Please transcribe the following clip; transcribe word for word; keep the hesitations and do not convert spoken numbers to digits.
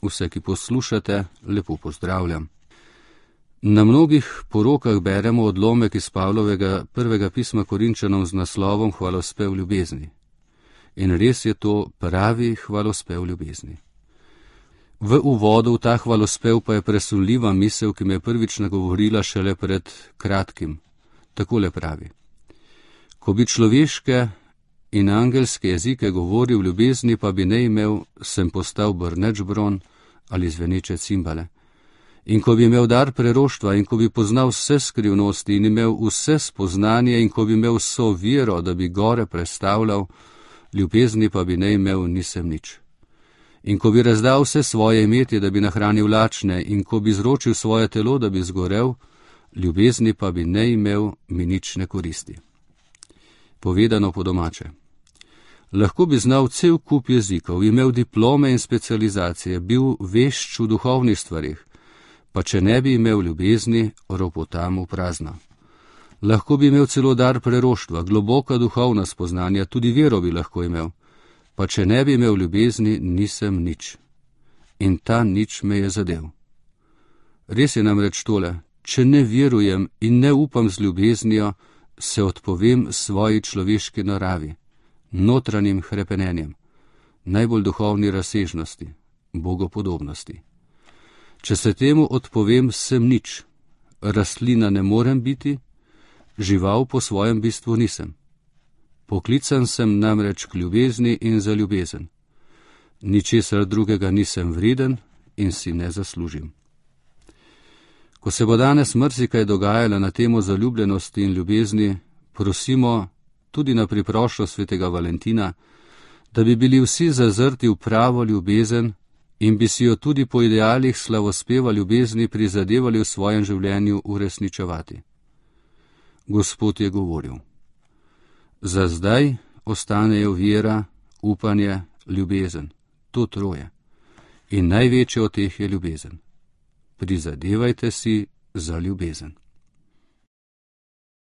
Vse, ki poslušate, lepo pozdravljam. Na mnogih porokah beremo odlomek iz Pavlovega prvega pisma Korinčanom z naslovom Hvalospev ljubezni. In res je to pravi hvalospev ljubezni. V uvodu v ta hvalospev pa je presunljiva misel, ki me je prvič nagovorila šele pred kratkim. Takole pravi: ko bi človeške in angelske jezike govoril, ljubezni pa bi ne imel, sem postal brneč bron ali zveneče cimbale. In ko bi imel dar preroštva in ko bi poznal vse skrivnosti in imel vse spoznanje in ko bi imel vso vero, da bi gore prestavljal, ljubezni pa bi ne imel, nisem nič. In ko bi razdal vse svoje imetje, da bi nahranil lačne, in ko bi zročil svoje telo, da bi zgorel, ljubezni pa bi ne imel, mi nič ne koristi. Povedano po domače. Lahko bi znal cel kup jezikov, imel diplome in specializacije, bil vešč v duhovnih stvarih, pa če ne bi imel ljubezni, ropotam v prazno. Lahko bi imel celo dar preroštva, globoka duhovna spoznanja, tudi vero bi lahko imel, pa če ne bi imel ljubezni, nisem nič. In ta nič me je zadev. Res je namreč tole, če ne verujem in ne upam z ljubeznijo, se odpovem svoji človeški naravi, notranjim hrepenenjem, najbolj duhovni razsežnosti, bogopodobnosti. Če se temu odpovem, sem nič. Rastlina ne morem biti, žival po svojem bistvu nisem. Poklican sem namreč k ljubezni in za ljubezen. Ničesar drugega nisem vreden in si ne zaslužim. Ko se bo danes marsikaj dogajalo na temo zaljubljenosti in ljubezni, prosimo tudi na priproščo svetega Valentina, da bi bili vsi zazrti v pravo ljubezen in bi si jo tudi po idealih slavospeva ljubezni prizadevali v svojem življenju uresničevati. Gospod je govoril: za zdaj ostanejo vera, upanje, ljubezen, to troje. In največje od teh je ljubezen. Prizadevajte si za ljubezen.